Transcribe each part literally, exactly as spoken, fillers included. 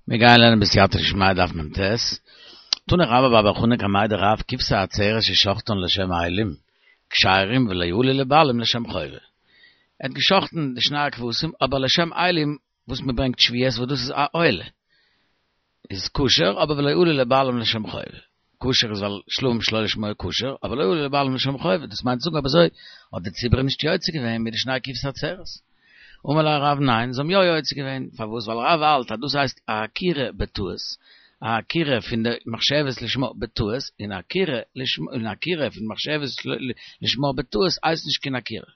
מיר גייען לערנען בסייעתא דשמיא דף מ"ט. תני רבה בר בר חנה קמיה דרב כבשי עצרת ששחטן לשם אילים כשרים ולא עלו לבעלים לשם חובה. ער האט געשחטן די שני הכבשים אבער לשם אילים וואס מען ברענגט שבועות וואס דאס איז א עולה איז כשר אבער ולא עלו לבעלים לשם חובה. כשר איז ווייל שלמים שלא לשמה כשר אבער לא עלו לבעלים לשם חובה דאס מיינט צו זאגן אויב אזוי האט די ציבור נישט יוצא געווען מיט די שני כבשי עצרת. אמר ליה רב ניין, זיי האבן יא יוצא געווען, פארוואס? ווייל רב האלט אז דאס הייסט א עקירה בטעות, א עקירה פון די מחשבת לשמה בטעות, און עקירה לשמה און עקירה פון מחשבת לשמה בטעות הייסט נישט קיין עקירה.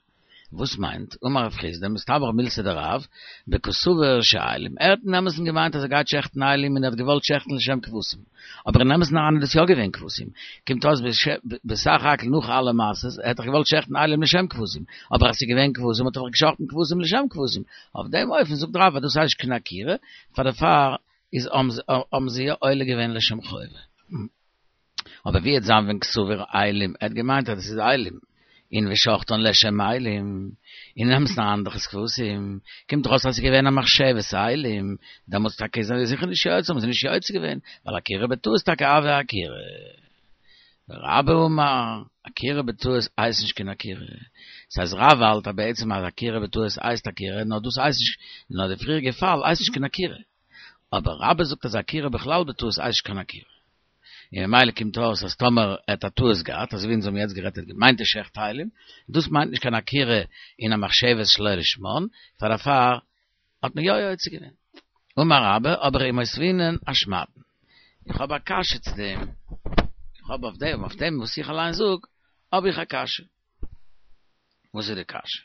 וואס מיינט? אמר רב חסדא, מסתברא מילתא דרב, בקסבר שאילים, ער האט אין אמת'ן געמיינט אז ער גייט שעכטן אילים און ער האט געוואלט שעכטן לשם כבשים, אבער אין אמת'ן אריין איז דאס יא געווען כבשים, קומט אויס בסך הכל נאך אלע מעשות, ער האט דאך געוואלט שעכטן אילים לשם כבשים, אבער אז ס'איז געווען כבשים האט ער דאך געשאכטן כבשים לשם כבשים, אויף דעם אופן זאגט רב אז דאס הייסט נישט קיין עקירה, פאר דערפאר איז האבן זיי יא עולה געווען לשם חובה. אבער ווי וועט זיין ווען קסבר אילים, ער האט געמיינט אז דאס איז אילים, און ושחטן לשם אילים, אין אמת'ן אריין דאך איז כבשים, קומט דאך אויס אז ס'איז געווען א מחשבת אילים, דעמאלטס טאקע איז ער זיכער נישט יוצא, האבן זיי נישט יוצא געווען, ווייל עקירה בטעות טאקע הויא עקירה. ורבה אמר, עקירה בטעות הייסט נישט קיין עקירה. ס'הייסט רב האלט אז בעצם אז עקירה בטעות הייסט עקירה, נאר דאס הייסט נישט, נאר די פריעריגע פאל הייסט נישט קיין עקירה. אבער רבה זאגט אז עקירה בכלל בטעות הייסט נישט קיין עקירה. און ממילא קומט אויס אז טאמער ער האט א טעות געהאט, אזוי ווי אונז האבן יעצט גערעדט ער האט געמיינט ער שעכט אילים, דאס מיינט נישט קיין עקירה אין א מחשבת שלא לשמן, פאר דערפאר האט מען יא יוצא געווען. אמר רבה, אבער ומותבינן אשמעתין. איך האב א קשיא צו דעם, איך האב אויף דעם, אויף דעם וואס איך אליין זאג, האב איך א קשיא. וואס איז די קשיא?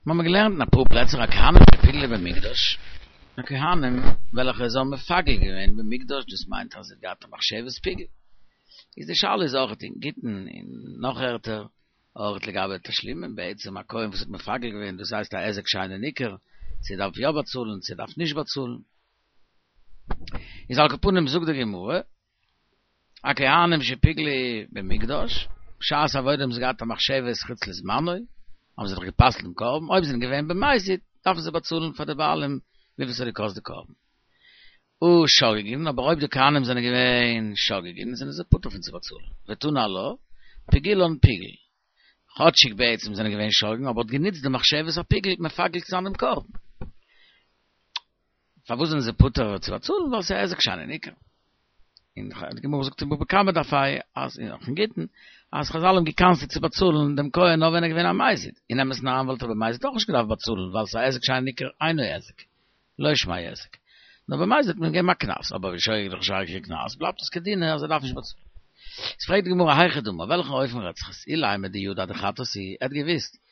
מיר האבן געלערנט אין אפאר פלעצער הכהנים שפיגלו במקדש, די כהנים וועלכע זיי האבן מפגל געווען במקדש, דאס מיינט אז זיי האט געהאט א מחשבת פיגול. איז די שאלה איז אויך אין גיטין און נאך ערטער, אויך לגבי תשלומים, בעצם א כהן וואס האט מפגל געווען, דאס הייסט א היזק שאינו ניכר, צו ער דארף יא באצאלן צו ער דארף נישט באצאלן. איז על כל פנים זאגט די גמרא, הכהנים שפיגלו במקדש, בשעת עבודה האבן זיי געהאט א מחשבת חוץ לזמנו, האבן זיי דאך גע'פסל'ט דעם קרבן, אויב זיי זענען געווען במזיד, דארפן זיי באצאלן פאר די בעלים וויפיל ס'האט געקאסט די קרבן. הא שוגגין, אבער אויב די כהנים זענען געווען שוגגין, זענען זיי פטור פון צו באצאלן. ותנא עלה, פיגולן פיגול. כאטשיג בעצם זענען געווען שוגגין, אבער האט גענוצט די מחשבת הפיגול מפגל צו זיין דעם קרבן. פארוואס זענען זיי פטור צו באצאלן? ווייל ס'איז היזק שאינו ניכר. און די גמרא זאגט אין בבא קמא דף ה' אז און אויך אין גיטין אז חזל האבן גע'קנס'ט צו באצאלן דעם כהן נאר ווען ער איז געווען א מזיד, אין אמת'ן אריין וואלט ער במזיד אויך נישט געדארפט באצאלן ווייל ס'איז א היזק שאינו ניכר אינו היזק, לא שמיה היזק. נאר במזיד האט מען געגעבן א קנס, אבער בשוגג איז דאך נישט שייך קיין קנס, בלייבט עס כדינא אז ער דארף נישט באצאלן. איז פרעגט די גמרא היכי דמי, אויף וועלכן אופן רעדט זיך עס, אילימא דידע דחטאת היא, ער האט געוואוסט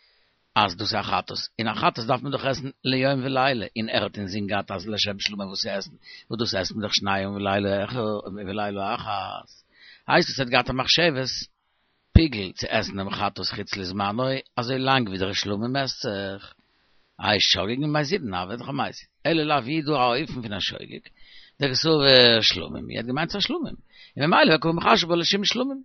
אז דאס איז א חטאת, און א חטאת דארף מען דאך עסן ליום ולילה, און ער האט אינזין געהאט אז לשם שלמים וואס צו עסן, וואס דאס עסט מען דאך שני ימים ולילה ולילה אחת, הייסט עס ער האט געהאט א מחשבת פיגול צו עסן דעם חטאת חוץ לזמנו אזוי לאנג ווי דער שלמים עסט זיך, איי שוגגין מזידין הוה דאך א מזיד, אלא לאו ווי איז דא א אופן פון א שוגג, דקסבר שלמים, ער האט געמיינט ס'איז א שלמים, און ממילא וקא מחשב בה לשם שלמים.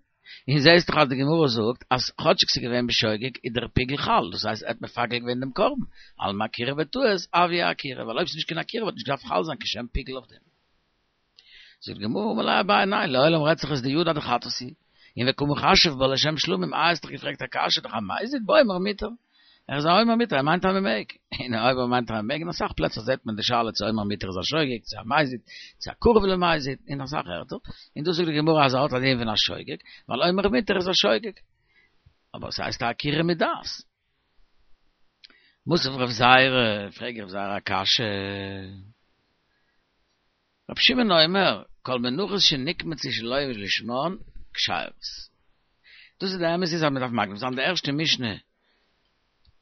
און זעהסט דאך אז די גמרא זאגט אז כאטשיג ס'איז געווען בשוגג איז דער פיגול חל, דאס הייסט ער האט מפגל געווען דעם קרבן, אלמא עקירה בטעות הויא עקירה, ווייל אויב ס'איז נישט קיין עקירה וואלט נישט געדארפט חל זיין קיין שם פיגול אויף דעם. זאגט די גמרא אמר ליה אביי ניין לעולם רעדט זיך עס דידע דחטאת היא, און וקא מחשב בה לשם שלמים, איי האסט דאך געפרעגט א קשיא דאך א מזיד באומר מותר. ער איז א אומר מותר, ער מיינט אז מען מעג. און אויב ער מיינט אז מען מעג, אין אסאך פלעצער זעט מען די שאלה צו אומר מותר איז א שוגג, צו א מזיד, צו א קרוב למזיד, אין אסאך ערטער. און דא זאגט די גמרא אז ער האט א דין פון א שוגג, ווייל אומר מותר איז א שוגג. אבער עס הייסט א עקירה מדעת. מתיב רב זירא, פרעגט רב זירא א קשיא. רבי שמעון אומר, כל מנחות שנקמצו שלא לשמן, כשרות. דאס איז די אמת איז אז מען דארף מקדים זיין די ערשטע משנה,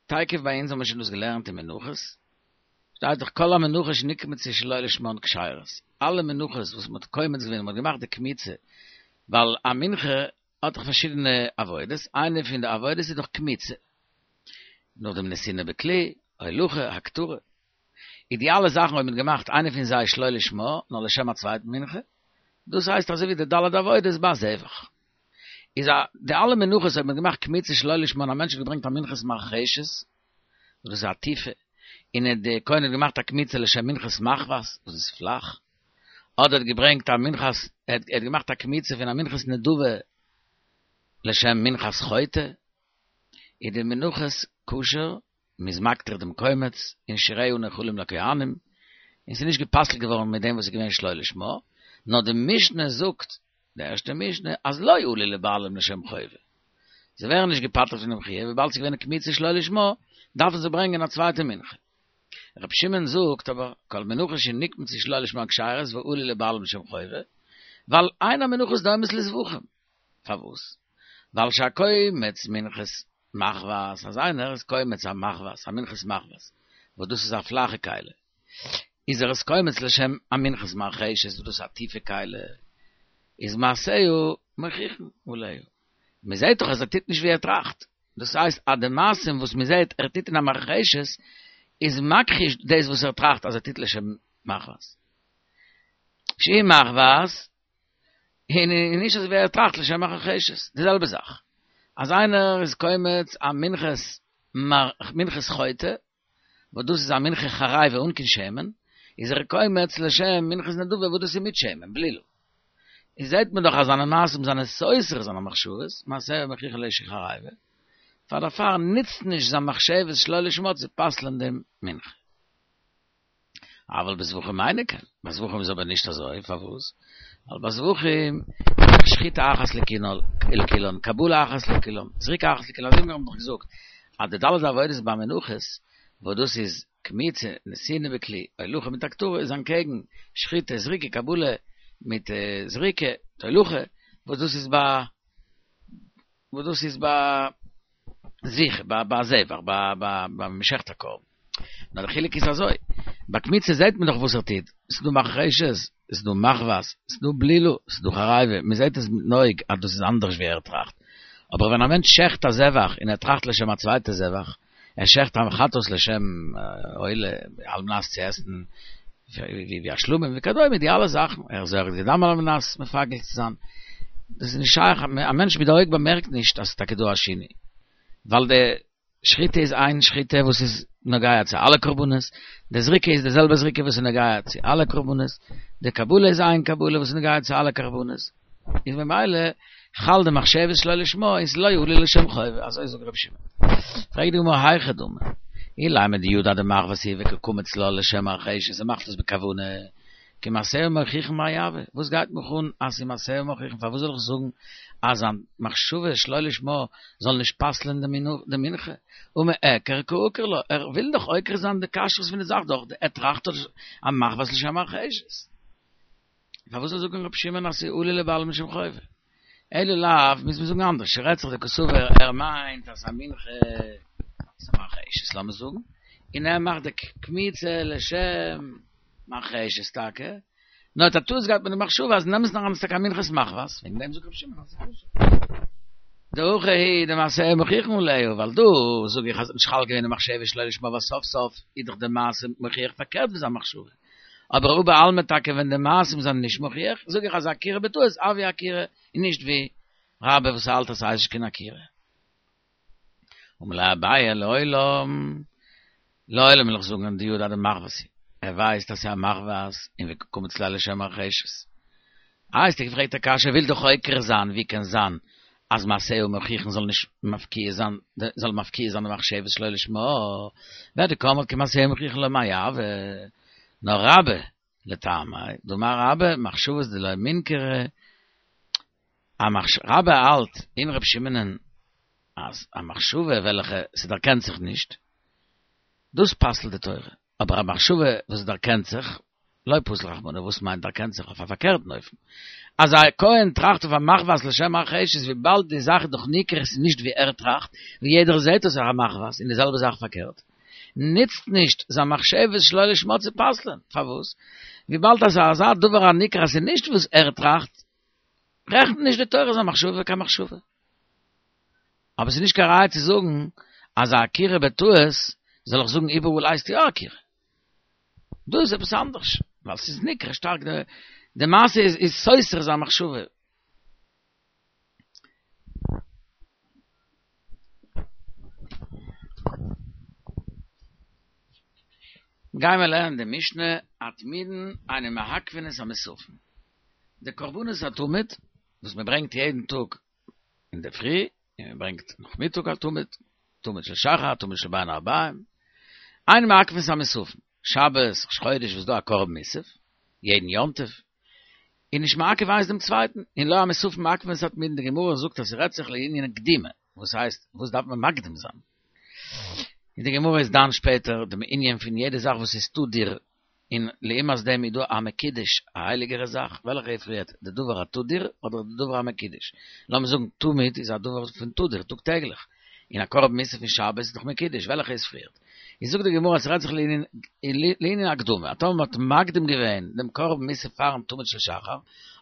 תיכף ביי אונז האבן מיר שוין דאס געלערנט אין מנחות, שטייט דאך כל המנחות שנקמצו שלא לשמן כשרות, אלע מנחות וואס מען האט קומץ געווען און מען האט געמאכט די קמיצה, ווייל א מנחה האט דאך פארשידענע עבודות, איינע פון די עבודות איז דאך קמיצה, נאכדעם נתינה בכלי, הולכה, הקטרה. איז די אלע זאכן אויב מען האט געמאכט איינע פון זיי שלא לשמה, נאר לשם א צווייטן מנחה, דאס הייסט אזוי ווי די ד' עבודות ביי זבח. איז א די אלע מנחות אויב מען האט געמאכט קמיצה שלא לשמה און א מענטש האט געברענגט א מנחת מרחשת, וואס דאס איז א טיפע, און ער די כהן האט געמאכט א קמיצה לשם מנחת מחבת, וואס איז פלאך, אדער האט געברענגט א מנחת, ער האט געמאכט א קמיצה פון א מנחת נדבה לשם מנחת חוטא, איז די מנחות כשר, מ'איז מקטיר דעם קומץ, און שיריה נאכלים לכהנים, און ס'איז נישט גע'פסל'ט געווארן מיט דעם וואס איז געווען שלא לשמה, נאר די משנה זאגט, די ערשטע משנה, אז לא עלו לבעלים לשם חובה. זיי ווערן נישט געפטר'ט פונעם חיוב, וויבאלד ס'איז געווען א קמיצה שלא לשמה, דארפן זיי ברענגען א צווייטע מנחה. רבי שמעון זאגט אבער, כל מנחות שנקמצו שלא לשמה כשרות ועלו לבעלים לשם חובה, ווייל אין המנחות דומות לזבחים. פארוואס? ווייל שהקומץ מנחת מחבת, אז איינער איז קומץ א מחבת, א מנחת מחבת, וואס דאס איז א פלאכע כלי, איז ער עס קומץ לשם א מנחת מרחשת, וואס דאס איז א טיפע כלי, איז מעשיה מוכיחין עליה. מען זעט דאך אז ער טוט נישט ווי ער טראכט. דאס הייסט אז די מעשים וואס מען זעט ער טוט אין א מרחשת, איז מכחיש דאס וואס ער טראכט אז ער טוט לשם מחבת. שהיא מחבת, און נישט אזוי ווי ער טראכט לשם מרחשת. די זעלבע זאך, אז איינער איז קומץ א מנחת מנחת חוטא, וואס דאס איז א מנחה חרבה אן קיין שמן, איז ער קומץ לשם מנחת נדבה וואס דאס איז מיט שמן, בלילו. איז זעט מען דאך אז זיינע מעשים זענען סותר זיינע מחשבות, מעשיה מוכיחין עליה שהיא חרבה, פאר דערפאר נוצט נישט זיין מחשבות שלא לשמה צו פסל'ען דעם מנחה. אבל בזבחים אינו כן, ביי זבחים איז אבער נישט אזוי, פארוואס? ווייל ביי זבחים איז דאך שחיטה אחת לכולן, קבלה אחת לכולן, זריקה אחת לכולן, אזוי ווי מיר האבן דאך געזאגט אז די ד' עבודות ביי מנחות, וואס דאס איז קמיצה, נתינה בכלי, הולכה מיט הקטרה, איז אנטקעגן שחיטה, זריקה, קבלה מיט זריקה, הולכה, וואס דאס איז ביי וואס דאס איז ביי זביחה, ביי זבח, ביי מ'שעכט א קרבן. נאר די חילוק איז אזוי, ביי קמיצה זעט מען דאך וואס ער טוט, ס'איז דא מרחשת, ס'איז דא מחבת, ס'איז דא בלילו, ס'איז דא חרבה, מען זעט עס מיטן אויג אז דאס איז אנדערש ווי ער טראכט. אבער ווען א מענטש שעכט א זבח און ער טראכט לשם א צווייטע זבח, ער שעכט א חטאת לשם עולה על מנת צו עסן ווי א שלמים וכדומה די אלע זאכן, ער זורק די דם על מנת מפגל צו זיין, דאס איז נישט שייך, א מענטש מיט די אויג באמערקט נישט אז ס'איז טאקע דא א שינוי, ווייל די שחיטה איז איין שחיטה וואס איז נוגע צו אלע קרבנות, די זריקה איז די זעלבע זריקה וואס איז נוגע צו אלע קרבנות, די קבלה איז איין קבלה וואס איז נוגע צו אלע קרבנות, איז ממילא חל די מחשבת שלא לשמה און ס'איז לא עלו לשם חובה, אזוי זאגט רבי שמעון. פרעגט די גמרא היכי דמי, אילימא דידע דמחבת היא וקא קמיץ לה לשם מרחשת, ער מאכט עס בכוונה, כמעשיה מוכיחין מאי הוי, וואס גייט מיך אן אז ס'איז מעשיה מוכיחין, פארוואס זאל איך זאגן אז זיין מחשבה שלא לשמה זאל נישט פסל'ען די מנחה, הא מיעקר קא עקר לה, ער וויל דאך עוקר זיין די כשרות פון די זאך דורך די ער טראכט דאך א מחבת לשם מרחשת. פארוואס זאל זאגן רבי שמעון אז ס'איז עלו לבעלים לשם חובה? אלא לאו, מוז מען זאגן אנדערש, ס'רעדט זיך דקסבר ער מיינט אז א מנחה איז א מרחשת לאמיר זאגן, און ער מאכט די קמיצה לשם מרחשת טאקע, נאר האט א טעות געהאט מיט די מחשבה אז אין אמת'ן אריין איז טאקע א מנחת מחבת, וועגן דעם זאגט רבי שמעון אז ס'איז כשר. דהכא הוא דמעשיה מוכיחין עליה, ווייל דא זאג איך אז נישט חל געווען די מחשבה שלא לשמה ווייל סוף סוף איז דאך די מעשה מוכיח פארקערט ווי זיין מחשבה. אבער הא בעלמא טאקע ווען די מעשים זענען נישט מוכיח, זאג איך אז עקירה בטעות הויא עקירה, און נישט ווי רבה וואס האלט אז ס'הייסט נישט קיין עקירה. אמר ליה אביי לעולם, לעולם וויל איך זאגן דידע דמחבת היא, ער ווייסט אז ס'איז א מחבת און וקא קמיץ לה לשם מרחשת. איי האסטו געפרעגט א קשיא וויל דאך עוקר זיין ווי קען זיין אז מעשיה מוכיחין זאל נישט מפקיע זיין זאל מפקיע זיין די מחשבת שלא לשמה, והא דקאמרת כמעשיה מוכיחין לא מאי הוי, נאר רבה לטעמיה, דאמר רבה מחשבות דלא מינכרא, א מחש רבה האלט אין ר' שמעונ'ען אז א מחשבה וועלכע ס'דערקענט זיך נישט, דאס פסל'ט די תורה, אבער א מחשבה וואס דערקענט זיך, לא פסל רחמנא, וואס מיינט דערקענט זיך אויף א פארקערטן אופן? אז א כהן טראכט אויף א מחבת לשם מרחשת וויבאלד די זאך איז דאך ניכר עס איז נישט ווי ער טראכט, ווי יעדער זעט עס איז א מחבת, און די זעלבע זאך פארקערט, נוצט נישט זיין מחשבת שלא לשמה צו פסל'ען, פארוואס? וויבאלד אז אזא דבר הניכר אז ס'איז נישט וואס ער טראכט, רעכנט נישט די תורה זיין מחשבה קיין מחשבה. אבער ס'איז נישט קיין ראיה צו זאגן אז א עקירה בטעות זאל איך זאגן איבעראל הייסט יא עקירה. דא איז עפעס אנדערש, ווייל ס'איז ניכר שטארק די מעשה איז איז סותר זיין מחשבה. גיי מיר לערנען די משנה, התמידין אינן מעכבין את המוספין. די קרבנות התמיד, וואס מען ברענגט יעדן טאג אין דער פרי, און מען ברענגט נאכמיטאג א תמיד, תמיד של שחר, תמיד של בין הערביים, אינן מעכבין את המוספין. שבת, ראש חודש וואס דא א קרבן מוסף, יעדן יום טוב, און נישט מעכב איינס דעם צווייטן, און לא המוספין מעכבין את התמידין, די גמרא זאגט אז ס'רעדט זיך לענין קדימה, וואס הייסט, וואס דארף מען מקדים זיין? און די גמרא איז דן שפעטער דעם ענין פון יעדע זאך וואס איז תדיר, און לעומת דעם איז דא א מקודש, א הייליגערע זאך, וועלכע איז פריערט, די דבר התדיר אדער די דבר המקודש? לאמיר זאגן תמיד איז א דבר פון תדיר, טאג טעגליך, און א קרבן מוסף פון שבת איז דאך מקודש, וועלכע איז פריערט? איז זאגט די גמרא אז ס'רעדט זיך לענין הקדמה, אז טאמער מ'האט מקדים געווען דעם קרבן מוסף פארן תמיד של שחר,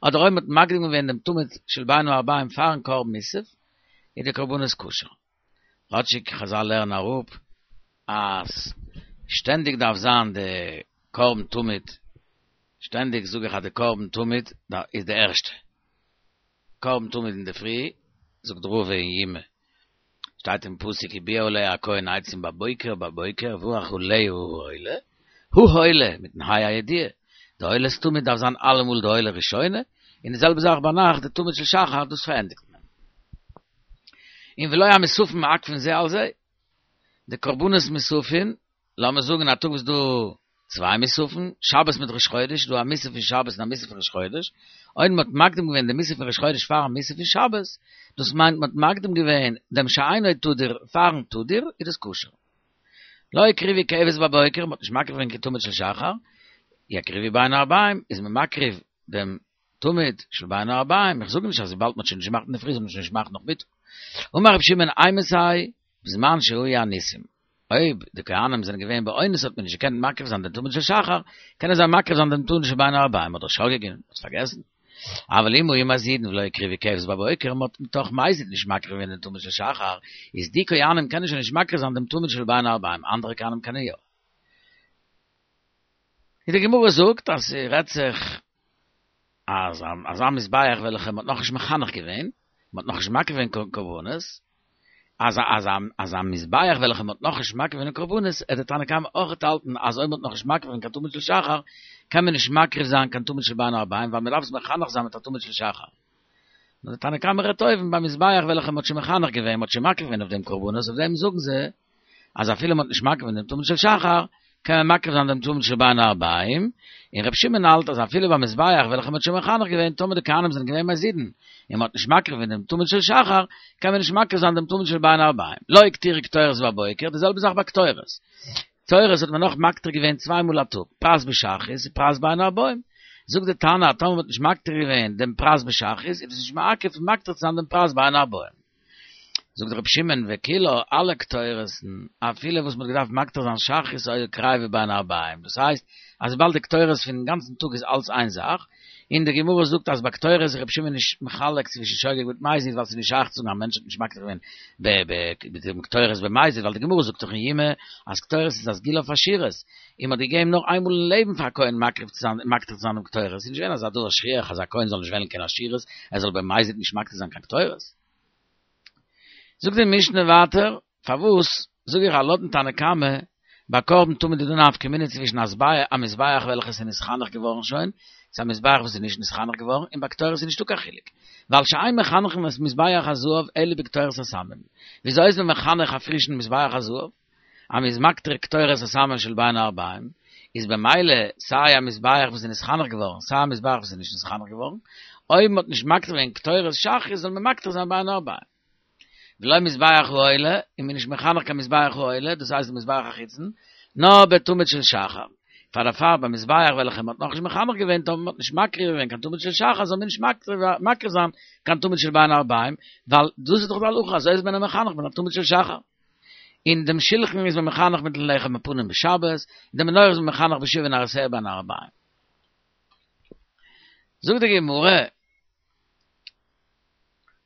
אדער אויב מ'האט מקדים געווען דעם תמיד של בין הערביים פארן קרבן מוסף, איז די קרבנות כשר. כאטשיג חזל לערנען אראפ אז שטענדיג דארף זיין די קרבן תמיד, שטענדיג זאג איך אז די קרבן תמיד איז די ערשטע, קרבן תמיד אינדערפרי, זאגט רבא אין יומא, שטייט אין פסוק ובער עליה הכהן עצים בבוקר בבוקר וברך עליה העולה, העולה מיטן ה' הידיעה, די עולת תמיד דארף זיין אלעמאל די עולה ראשונה, און די זעלבע זאך ביינאכט די תמיד של שחר דאס פארענדיגט מען. און ולא המוספין מעכבין זה על זה, די קרבנות מוספין, לאמיר זאגן א טאג וואס דא צוויי מוספין, שבת מיט ראש חודש, דא א מוסף פון שבת און א מוסף פון ראש חודש, אויב מ'האט מקדים געווען די מוסף פון ראש חודש פארן מוסף פון שבת, דאס מיינט מ'האט מקדים געווען דעם שאינו תדיר פארן תדיר, איז דאס כשר. לא הקריבו כבש בבוקר, מ'האט נישט מקריב געווען קיין תמיד של שחר, יקריבו בין הערביים, איז מען מקריב דעם תמיד של בין הערביים, איך זאג נישט אז וויבאלד מ'האט שוין נישט געמאכט אינדערפרי זאל מען שוין נישט מאכן נאכמיטאג. אמר רבי שמעון אימתי בזמן שהיו אנוסים, אויב די כהנים זענען געווען באונס האט מען נישט געקענט מקריב זיין דעם תמיד של שחר, קענען זיי מקריב זיין דעם תמיד של בין הערביים אדער שוגגין, מ'האט פארגעסן. אבל אם היו מזידין ולא הקריבו כבש בבוקר, מ'האט מתוך מזיד נישט מקריב געווען דעם תמיד של שחר, איז די כהנים קענען שוין נישט מקריב זיין דעם תמיד של בין הערביים, אנדערע כהנים קענען יא. און די גמרא זאגט אז ס'רעדט זיך אז אזא מזבח וועלכע מ'האט נאכנישט מחנך געווען, מ'האט נאכנישט מקריב געווען קיין קרבנות, אז אז אז א מזבח וועלכע מ'האט נאכנישט מקריב געווען קרבנות, עט די תנא קמא אויכעט האלטן אז אויב מ'האט נאכנישט מקריב געווען קיין תמיד של שחר, קען מען נישט מקריב זיין קיין תמיד של בין הערביים ווייל מ'דארף עס מחנך זיין מיט א תמיד של שחר. נאר די תנא קמא רעדט אויבן ביי מזבח וועלכע מ'האט שוין מחנך געווען, מ'האט שוין מקריב געווען אויף דעם קרבנות, אויף דעם זאגן זיי אז אפילו מ'האט נישט מקריב געווען דעם תמיד של שחר, קען מען מקריב זיין דעם תמיד של בין הערביים, און ר' שמעון האלט אז אפילו ביי מזבח וועלכע מ'האט שוין מחנך געווען טאמער די כהנים זענען געווען מזידין און מ'האט נישט מקריב געווען דעם תמיד של שחר, קען מען נישט מקריב זיין דעם תמיד של בין הערביים. לא הקטירו קטורת בבוקר, די זעלבע זאך ביי קטורת. קטורת האט מען נאך מקטיר געווען צוויי מאל א טאג, פרס בשחרית און פרס בין הערביים. זאגט די תנא אז טאמער מ'האט נישט מקטיר געווען דעם פרס בשחרית איז דאס נישט מעכב פון מקטיר צו זיין דעם פרס בין הערביים. זאגט רבי שמעון וכולה אלע קטורת'ן אפילו וואס מ'האט געדארפט מקטיר זיין שחרית היו קריבה בין הערביים דאס הייסט אז וויבאלד די קטורת פונעם גאנצן טאג איז אלץ איין זאך און די גמרא זאגט אז ביי קטורת איז רבי שמעון נישט מחלק צווישן שוגג מיט מזיד ווייל ס'איז נישט שייך צו זאגן א מענטש האט נישט מקטיר געווען ב ב מיט דעם קטורת במזיד ווייל די גמרא זאגט דאך אין יומא אז קטורת איז א סגולה אויף עשירות און מ'האט געגעבן נאר איינמאל אין לעבן פאר א כהן מקריב צו זיין מקטיר צו זיין דעם קטורת איז נישט געווען אזא דבר שכיח אז א כהן זאל נישט וועלן קיין עשירות ער זאל במזיד נישט מקטיר זיין קיין קטורת. זאגט די משנה ווייטער, פארוואס זאג איך אז לויטן תנא קמא ביי קרבן תמיד איז דא נפקא מינה צווישן א מזבח וועלכעס איז נתחנך געווארן שוין, צו א מזבח וואס איז נישט נתחנך געווארן, און ביי קטורת איז נישטא קיין חילוק, ווייל שאין מחנכין את מזבח הזהב אלא בקטורת הסמים, וויאזוי איז מען מחנך א פרישן מזבח הזהב? אז מ'איז מקטיר קטורת הסמים של בין הערביים, איז במילא סיי א מזבח וואס איז נתחנך געווארן סיי א מזבח וואס איז נישט נתחנך געווארן, אויב מ'האט נישט מקטיר געווען קטורת שחרית זאל מען מקטיר זיין בין הערביים. ולא מזבח העולה, און מ'איז נישט מחנך קיין מזבח העולה, דאס הייסט די מזבח החיצון, נאר בתמיד של שחר. פאר דערפאר ביי מזבח וועלכע מ'האט נאכנישט מחנך געווען טאמער מ'האט נישט מקריב געווען קיין תמיד של שחר זאל מען נישט מקריב זיין קיין תמיד של בין הערביים, ווייל דאס איז דאך די הלכה אזוי איז מען מחנך מיט א תמיד של שחר. און דעם שלחן איז מען מחנך מיטן לחם הפנים בשבת, און די מנורה איז מען מחנך בשבעה נרותיה בין הערביים. זאגט די גמרא,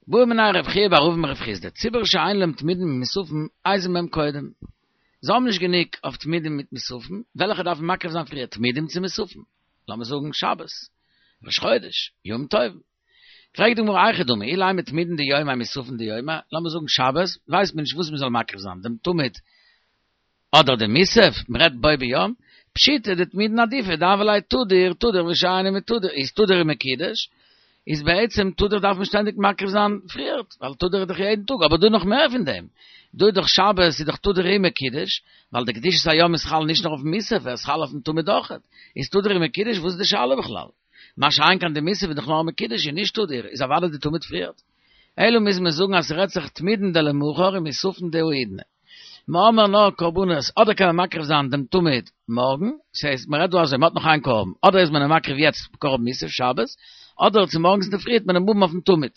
בעא מיניה רב חייא בר אבין מרב חסדא, ציבור שאין להם תמידים ומוספים, איזה מהם קודם? זיי האבן נישט גענוג אויף תמידים מיט מוספים, וועלכע דארף מען מקריב זיין פריער, תמידים צו מוספים? לאמיר זאגן שבת, ראש חודש, יום טוב. פרעגט די גמרא היכי דמי, אילימא תמידין דיומיה מוספין דיומיה, לאמיר זאגן שבת, ווייסט מען נישט וואס מען זאל מקריב זיין, דעם תמיד אדער דעם מוסף, מען רעדט בו ביום, פשיטא דתמידין עדיפא, דהוה ליה תדיר, תדיר ושאינו מתודר, איז תדיר מקודש, איז בעצם תדיר דארף מען שטענדיג מקריב זיין פריערט, ווייל תדיר איז דאך יעדן טאג, אבער דא נאך מער פון דעם. דא איז דאך שבת איז דאך תדיר ומקודש, ווייל די קדושת היום איז חל נישט נאר אויפן מוסף, ער איז חל אויפן תמיד אויכעט. איז תדיר ומקודש, וואס איז די שאלה בכלל? מה שאין כן די מוסף איז דאך נאר מקודש און נישט תדיר, איז אוודאי די תמיד פריערט. אלא מוז מען זאגן אז ס'רעדט זיך תמידין דלמחר ומוספין דהאידנא. מ'האמער נאר קרבנות, אדער קען מען מקריב זיין דעם תמיד מארגן, ס'הייסט מ'רעדט דא אזוי, מ'האט נאך איין קרבן, אדער איז מען אים מקריב יעצט קרבן מוסף שבת, אדער צו מארגנס אינדערפרי וועט מען אים האבן אויפן תמיד.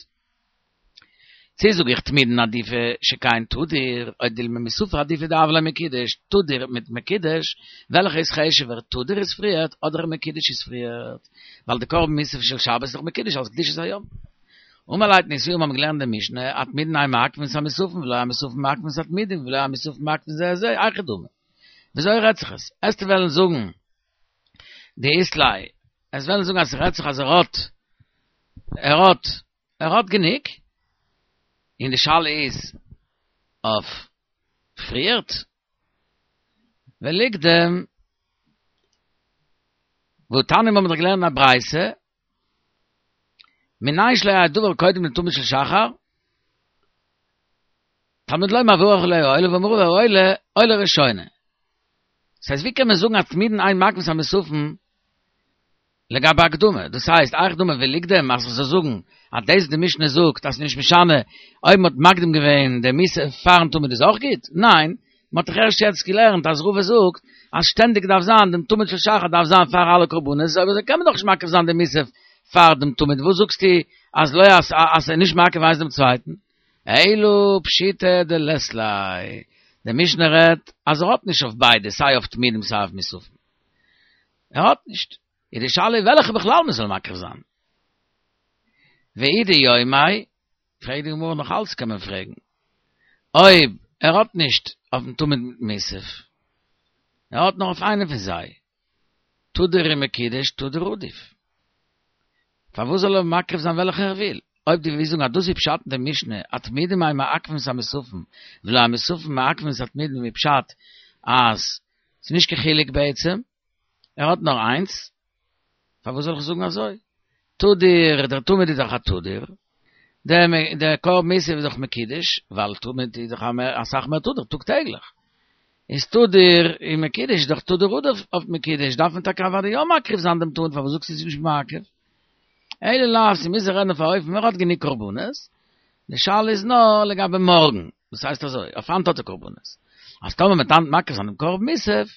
צי זאג איך תמידין עדיפא שכן תדיר, או דילמא מוספין עדיפא דהוה ליה מקודש, תדיר מיט מקודש, וועלכע איז חשוב'ער, תדיר איז פריערט אדער מקודש איז פריערט? ווייל די קרבן מוסף של שבת איז דאך מקודש אלס קדושת היום. אמר ליה מתניתין האבן געלערנט די משנה, התמידין אין מעכבין את המוספין ולא המוספין מעכבין את התמידין ולא המוספין מעכבין זה את זה, היכי דמי. וויאזוי רעדט זיך עס? עסטו וועלן זאגן דאית ליה, עסט וועלן זאגן אז ס'רעדט זיך אז ער האט, ער האט, ער האט גענוג, און די שאלה איז אויף פריערט, וליקדם, והתניא האבן מיר דאך געלערנט אין א ברייתא, מנין שלא יהא דבר קודם לתמיד של שחר, תלמוד לומר וערך עליה עולה ואמר רבא העולה עולה ראשונה. דאס הייסט ווי קען מען זאגן אז תמידין אין מעכבין את המוספין לגבי הקדמה, דאס הייסט היכי דמי וליקדם אז כ'זאל זאגן אז דאס די משנה זאגט אז ס'נישט משנה אויב מ'האט מקדים געווען די מוסף פארן תמיד איז אויך גוט, ניין, מ'האט דאך ערשט יעצט געלערנט אז רבא זאגט אז שטענדיג דארף זיין דעם תמיד של שחר דארף זיין פאר אלע קרבנות, אויב אזוי קען מען דאך נישט מקריב זיין די מוסף פאר דעם תמיד, וואס זאגסטו אז לא אז אז ס'איז נישט מעכב איינס דעם צווייטן? אלא פשיטא דלית ליה, די משנה רעדט אז ער האט נישט אויף ביידע סיי אויף תמידים סיי אויף מוספים, ער האט נישט, איז די שאלה וועלכע בכלל מען זאל מקריב זיין. ואי דיומיה, פרעגט די גמרא נאך אלץ קען מען פרעגן, אויב ער האט נישט אויפן תמיד מיט מוסף, ער האט נאר אויף איינע פון זיי, תדיר ומקודש תדיר עדיף. פארוואס זאל ער מקריב זיין וועלכע ער וויל? אויב דו ווילסט זאגן אז דאס איז פשט אין די משנה, התמידים אין מעכבין את המוספין, ולא המוספין מעכבין את התמידים איז פשט אז ס'איז נישט קיין חילוק בעצם, ער האט נאר איינס, פארוואס זאל איך זאגן אזוי? תדיר, דער תמיד איז דאך א תדיר, דער קרבן מוסף איז דאך מקודש, ווייל תמיד איז דאך אסאך מער תדיר טאג טעגליך. איז תדיר און מקודש איז דאך תדיר עדיף אויף מקודש, דארף מען טאקע אוודאי יא מקריב זיין דעם תמיד, פארוואס זאגסטו ס'איז נישט מעכב? אלא לאו, ס'מוז זיך רעדן אויף א אופן ער האט גענוג קרבנות, די שאלה איז נאר לגבי מארגן, דאס הייסט אזוי, אויף היינט האט ער קרבנות, אז טאמער מ'וועט היינט מקריב זיין דעם קרבן מוסף,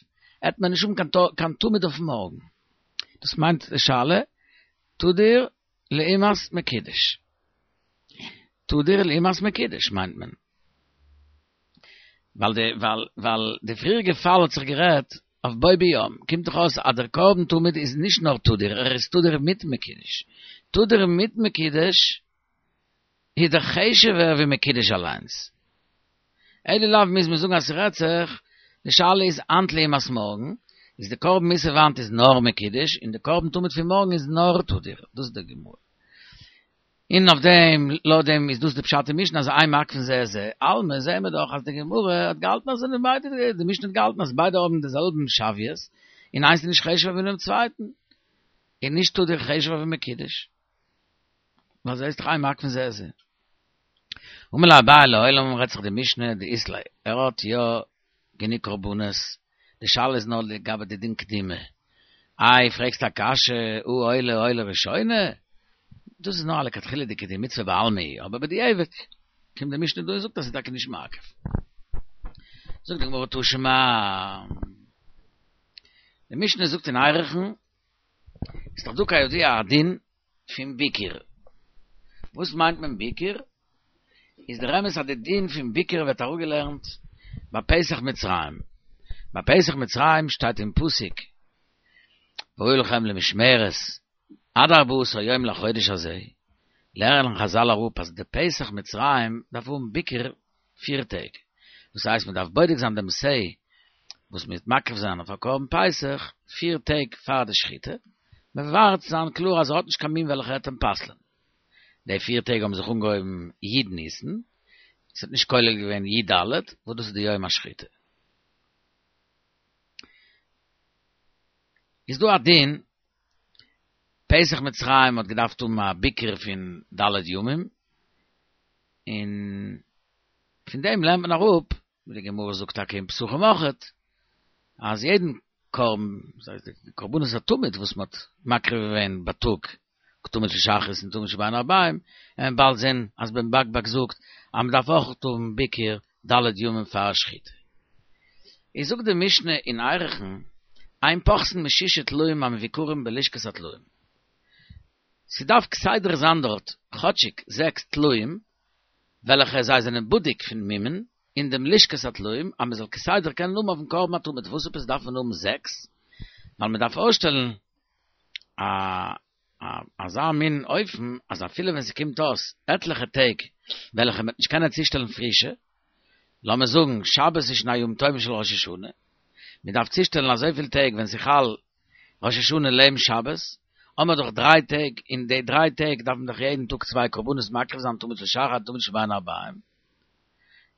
העט מען נישט האבן קיין תמיד אויף מארגן. דאס מיינט די שאלה, תדיר לעומת מקודש. תדיר לעומת מקודש מיינט מען. ווייל די ווייל ווייל די פריעריגע פאל האט זיך גערעדט אויף בו ביום, קומט דאך אויס אז דער קרבן תמיד איז נישט נאר תדיר, ער איז תדיר מיט מקודש. תדיר מיט מקודש איז דאך חשוב'ער ווי מקודש אליינס. אלא לאו מוז מען זאגן אז ס'רעדט זיך, די שאלה איז היינט לעומת מארגן, איז די קרבן מוסף היינט איז נאר מקודש, און די קרבן תמיד פון מארגן איז נאר תדיר, דאס איז די גמרא. און אויף דעם, לויט דעם איז דאס די פשט אין משנה אז אין מעכבין זה את זה, אלמא זעהן מיר דאך אז די גמרא האט געהאלטן אז זענען ביידע, די משנה האט געהאלטן אז ביידע האבן די זעלבן שוויות, און איינס איז נישט חשוב'ער פונעם צווייטן, און נישט תדיר חשוב'ער ווי מקודש. ווייל ס'איז דאך אין מעכבין זה את זה. אמר ליה אביי לעולם רעדט זיך די משנה דאית ליה, ער האט יא גענוג קרבנות, די שאלה איז נאר לגבי די דין קדימה, איי פרעגסט א קשיא, הא עולה עולה ראשונה? דאס איז נאר א לכתחילה'דיגע דין מצוה בעלמא היא, אבער בדיעבד קומט די משנה דא און זאגט אז ס'איז טאקע נישט מעכב. זאגט די גמרא תא שמע, די משנה זאגט אין ערכין, איז דאך דא כידוע א דין פון ביקור. וואס מיינט מען ביקור? איז דער אמת אז די דין פון ביקור ווערט אראפגעלערנט ביי פסח מצרים. ביי פסח מצרים שטייט אין פסוק והיו לכם למשמרת עד ארבעה עשר יום לחודש הזה, לערנען חזל אראפ אז די פסח מצרים דארף האבן ביקור פיר טעג, דאס הייסט מען דארף בודק זיין דעם שה וואס מען וועט מקריב זיין אויף א קרבן פסח פיר טעג פאר די שחיטה, מען ווארט זיין קלאר אז ער האט נישט קיין מום וועלכע וועט אים פסל'ען. די פיר טעג האבן זיך אנגעהויבן י' ניסן, עס האט נישט כולל געווען י"ד וואס דאס איז די יום השחיטה. איז דא א דין, פסח מצרים האט געדארפט האבן א ביקור פון ד' ימים, און פון דעם לערנט מען אראפ, ווי די גמרא זאגט טאקע אין פסחים אויכעט, אז יעדן קרבן, דאס הייסט די קרבנות התמיד וואס מ'האט מקריב געווען בייטאג, תמיד של שחרית און תמיד של בין הערביים, און באלד זען אז בן בג בג זאגט אז מ'דארף אויכעט האבן ביקור ד' ימים פאר שחיטה. איז זאגט די משנה אין ערכין, אין פוחתין משישה טלאים המבוקרים בלשכת הטלאים. ס'דארף כסדר זיין דארט כאטשיג זעקס טלאים וועלכע זיי זענען בדוק פון מומין אין דעם לשכת הטלאים אז מ'זאל כסדר קענען האבן אויפן קרבן התמיד. וואס עפעס דארף מען האבן זעקס? ווייל מ'דארף אויסשטעלן א אזא מין אופן אז אפילו ווען ס'קומט אויס עטליכע טעג וועלכע מ'וועט נישט קענען צושטעלן פרישע, לאמיר זאגן שבת איז שוין א יום טוב של ראש השנה, מ'דארף צושטעלן אזויפיל טעג ווען ס'חל ראש השנה לעבן שבת, האמער דאך דריי טעג, אין די דריי טעג דארף מען דאך יעדן טאג צוויי קרבנות מקריב זיין תמיד של שחר תמיד של בין הערביים,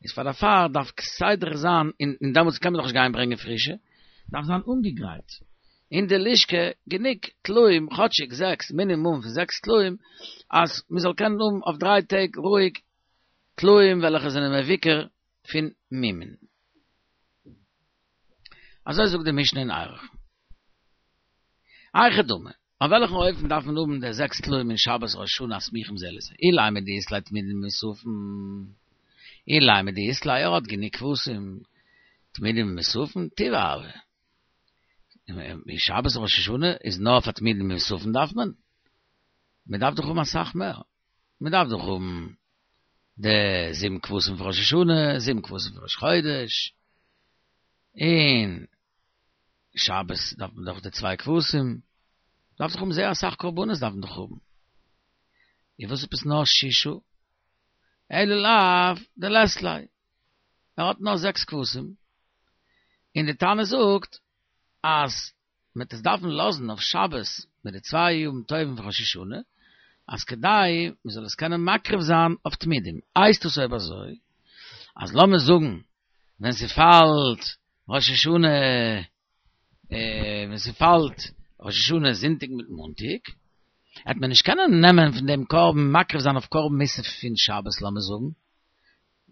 איז פאר דערפאר דארף כסדר זיין, און דעמאלטס קען מען דאך נישט גיין ברענגען פרישע, דארף זיין אנגעגרייט אין די לשכה גענוג טלאים, כאטשיג זעקס, מינימום פון זעקס טלאים, אז מען זאל קענען האבן אויף דריי טעג רואיג טלאים וועלכע זענען מבוקר פון מומין. אזוי זאגט די משנה אין ערכין. היכי דמי, אויף וועלכן אופן דארף מען האבן די זעקס טלאים אין שבת ראש השנה הסמוכים זה לזה? אילימא דאית ליה תמידים ומוספים, אילימא דאית ליה ער האט גענוג כבשים תמידים ומוספים, טבעא הוו. אין שבת ראש השנה איז נאר פאר תמידים ומוספים דארף מען? מען דארף דאך האבן אסאך מער, מען דארף דאך האבן די זיבן כבשים פון ראש השנה, זיבן כבשים פון ראש חודש, און שבת דארף מען דאך די צוויי כבשים, דארף דאך האבן זייער אסאך קרבנות דארף מען דאך האבן. און וואס עפעס נאר שישה? אלא לאו דלית ליה, ער האט נאר זעקס כבשים, און די תנא זאגט אז מען וועט עס דארפן לאזן אויף שבת מיט די צוויי ימים טובים פון ראש השנה, אז כדי מען זאל עס קענען מקריב זיין אויף תמידים, הייסט עס אויב אזוי אז לאמיר זאגן ווען ס'פאלט ראש השנה ווען ס'פאלט ראש השנה זונטאג מיט מאנטאג, העט מען נישט קענען נעמען פון דעם קרבן מקריב זיין אויף קרבן מוסף פון שבת לאמיר זאגן,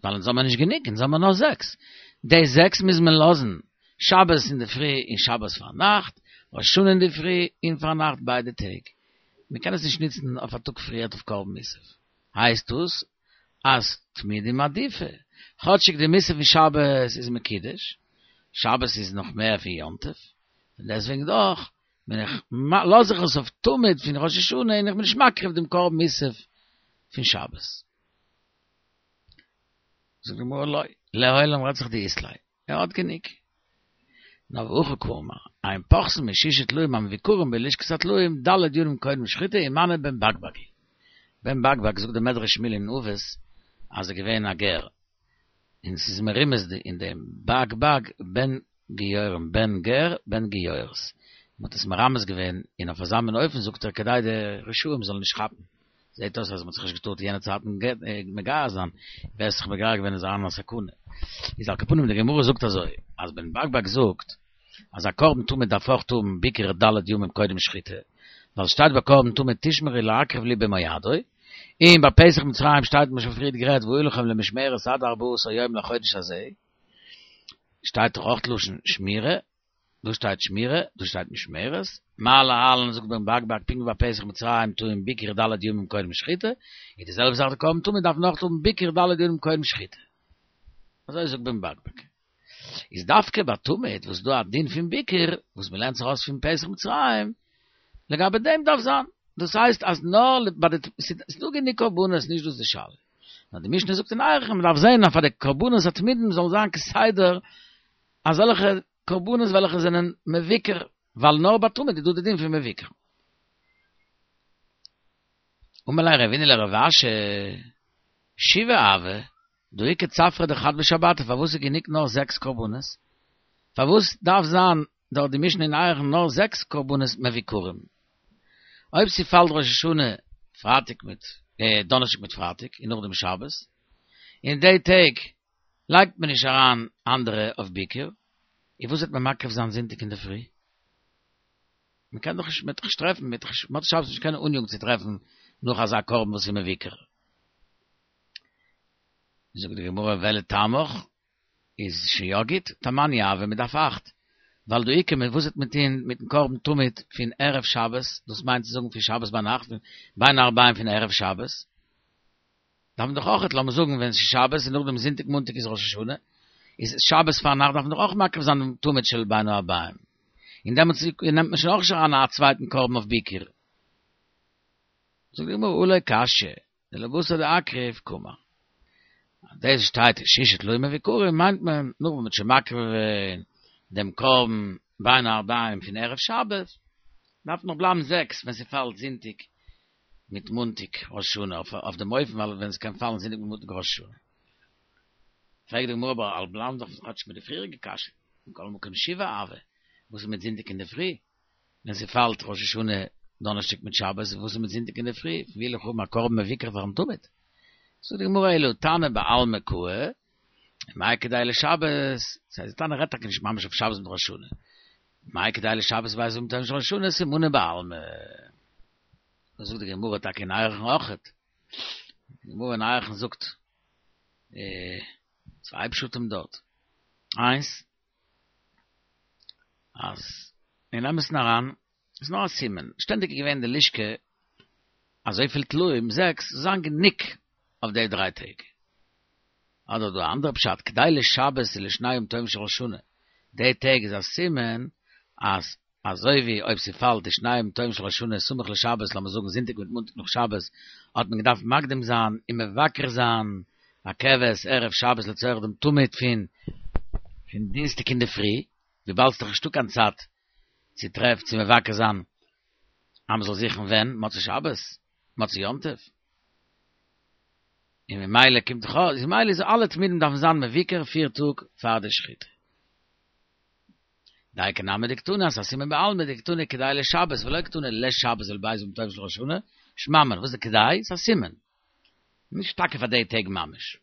ווייל אונז האמיר נישט גענוג, אונז האמיר נאר זעקס, די זעקס מוז מען לאזן שבת אינדערפרי און שבת פארנאכט, ראש השנה אינדערפרי און פארנאכט ביידע טעג, מען קען עס נישט נוצן אויף א טאג פריערט אויף קרבן מוסף, הייסט דאס אז תמידים עדיפא, כאטשיג די מוסף פון שבת איז מקודש, שבת איז נאך מער פון יום טוב, פון דעסטוועגן דאך בין איך לאז איך עס אויף תמיד פון ראש השנה און איך בין נישט מקריב דעם קרבן מוסף פון שבת. זאגט די גמרא לא, לעולם רעדט זיך דאית ליה, ער האט גענוג. נאר והכי קאמר, אין פוחתין משישה טלאים המבוקרים בלשכת הטלאים ד' ימים קודם שחיטה ומני בן בג בג היא. בן בג בג זאגט די מדרש שמואל אין אבות אז ער געווען א גר, און ס'איז מרומז אין דעם בג בג בן גיורם בן גר בן גיורת, מ'האט עס מרמז געווען און אויף אזא מין אופן זאגט ער כדי די רשעים זאלן נישט כאפן, זעט אויס אז מ'האט זיך נישט געטארט יענע צייטן מגייר זיין, ווער עס זיך מגייר געווען איז אריין אין א סכנה. איז על כל פנים די גמרא זאגט אזוי, אז בן בג בג זאגט אז א קרבן תמיד דארף אויך האבן ביקור ד' ימים קודם שחיטה, ווייל שטייט ביי קרבן תמיד תשמרו להקריב לי במועדו, און ביי פסח מצרים שטייט מ'האט שוין פריערט גערעדט והיו לכם למשמרת עד ארבעה עשר יום לחודש הזה, שטייט דאך אויך לשון שמירה, דא שטייט שמירה, דא שטייט משמרת, מה להלן זאגט בן בג בג פונקט ווי ביי פסח מצרים טעון ביקור ד' ימים קודם שחיטה, איז די זעלבע זאך די קרבן תמיד דארף נאך האבן ביקור ד' ימים קודם שחיטה. אזוי זאגט בן בג בג. איז דווקא ביי תמיד וואס איז דא א דין פון ביקור וואס מ'לערנט זיך אויס פון פסח מצרים, לגבי דעם דארף זיין, דאס הייסט אז נאר ביי די, ס'איז דא גענוג קרבנות נישט דאס די שאלה. נאר די משנה זאגט אין ערכין מ'דארף זען אז פאר די קרבנות התמידים זאל זיין כסדר אזעלכע קרבנות וועלכע זענען מבוקר, ווייל נאר ביי תמיד איז דא די דין פון מבוקר. אמר ליה רבינא לרב אשי, שבעה הוו, דהא איכא צפרא דחד בשבתא, פארוואס איז גענוג נאר זעקס קרבנות? פארוואס דארף זיין דארט די משנה אין ערכין נאר זעקס קרבנות מבוקרים? אויב ס'פאלט ראש השנה פרייטאג מיט דאנערשטאג מיט פרייטאג און נאכדעם שבת, אין די טעג לייגט מען נישט אריין אנדערע אויף ביקור, און וואס וועט מען מקריב זיין זונטאג אינדערפרי? מען קען דאך נישט מיט טרעפן, מיט מוצאי שבת נישט קיין ענין צו טרעפן נאך אזא קרבן וואס איז מבוקר. זאגט די גמרא ולטעמיך איז שוין יא גוט, תמניא הוה מ'דארף אכט, ווייל דהא איכא וואס וועט מען טוהן מיטן קרבן תמיד פון ערב שבת, דאס מיינט צו זאגן פון שבת ביינאכט, בין הערביים פון ערב שבת, דארף מען דאך אויכעט, לאמיר זאגן ווען ס'איז שבת און נאכדעם זונטאג מאנטאג איז ראש השנה, איז שבת פארנאכט דארף מען דאך אויך מקריב זיין דעם תמיד של בין הערביים, און דעמאלטס נעמט מען שוין אויך נישט אריין א צווייטן קרבן אויף ביקור. זאגט די גמרא הא לא קשיא, דלבתר דאקריב קאמר. אז דאס שטייט שישה טלאים מבוקרים מיינט מען נאך ווען מ'האט שוין מקריב געווען דעם קרבן בין הערביים פון ערב שבת, דארף נאך בלייבן זעקס ווען ס'פאלט זונטאג מיט מאנטאג ראש השנה אויף דעם אופן ווייל ווען ס'קען פאלן זונטאג מיט מאנטאג ראש השנה. פרעגט די גמרא אבער האלט בלייבן דאך כאטש מיט די פריעריגע קשיא, מכל מקום שבעה הוה, וואס איז מיט זונטאג אינדערפרי? ווען ס'פאלט ראש השנה דאנערשטאג מיט שבת, וואס איז מיט זונטאג אינדערפרי? ווי וועל איך האבן א קרבן מבוקר פארן תמיד? זאגט די גמרא אלא תנא בעלמא קאי, מאי כדאי לשבת, ס'הייסט די תנא רעדט טאקע נישט ממש אויף שבת מיט ראש השנה, מאי כדאי לשבת לב' ימים טובים של ראש השנה סימנא בעלמא. דאס זאגט די גמרא טאקע אין ערכין אויכעט, די גמרא אין ערכין זאגט צוויי פשטים דארט, איינס אז אין אמת'ן אריין איז נאר א סימן, שטענדיג איז געווען די לשכה אזויפיל טלאים, זעקס, זאל זיין גענוג אויף די דריי טעג. אדער דא א אנדערע פשט, כדאי לשבת ולשני ימים טובים של ראש השנה, די טעג איז א סימן אז אזוי ווי אויב ס'פאלט די שני ימים טובים של ראש השנה סמוך לשבת, לאמיר זאגן זונטאג מיט מאנטאג נאך שבת, האט מען געדארפט מקדים זיין און מבקר זיין א כבש ערב שבת לצורך דעם תמיד פון פון דינסטאג אינדערפרי, וויבאלד ס'דאך נישטא קיין צייט צו טרעף צו מבקר זיין אז מ'זאל זוכן ווען, מוצאי שבת, מוצאי יום טוב. און ממילא קומט דאך אויס, ממילא איז אלע תמידים דארפן זיין מבוקר פיר טאג פאר די שחיטה. דייקא נמי דקתני אז א סימן בעלמא דקתני כדאי לשבת ולא קתני לשבת ולב' ימים טובים של ראש השנה, שמע מינה, וואס איז כדאי? ס'איז א סימן. נישט טאקע פאר די טעג ממש.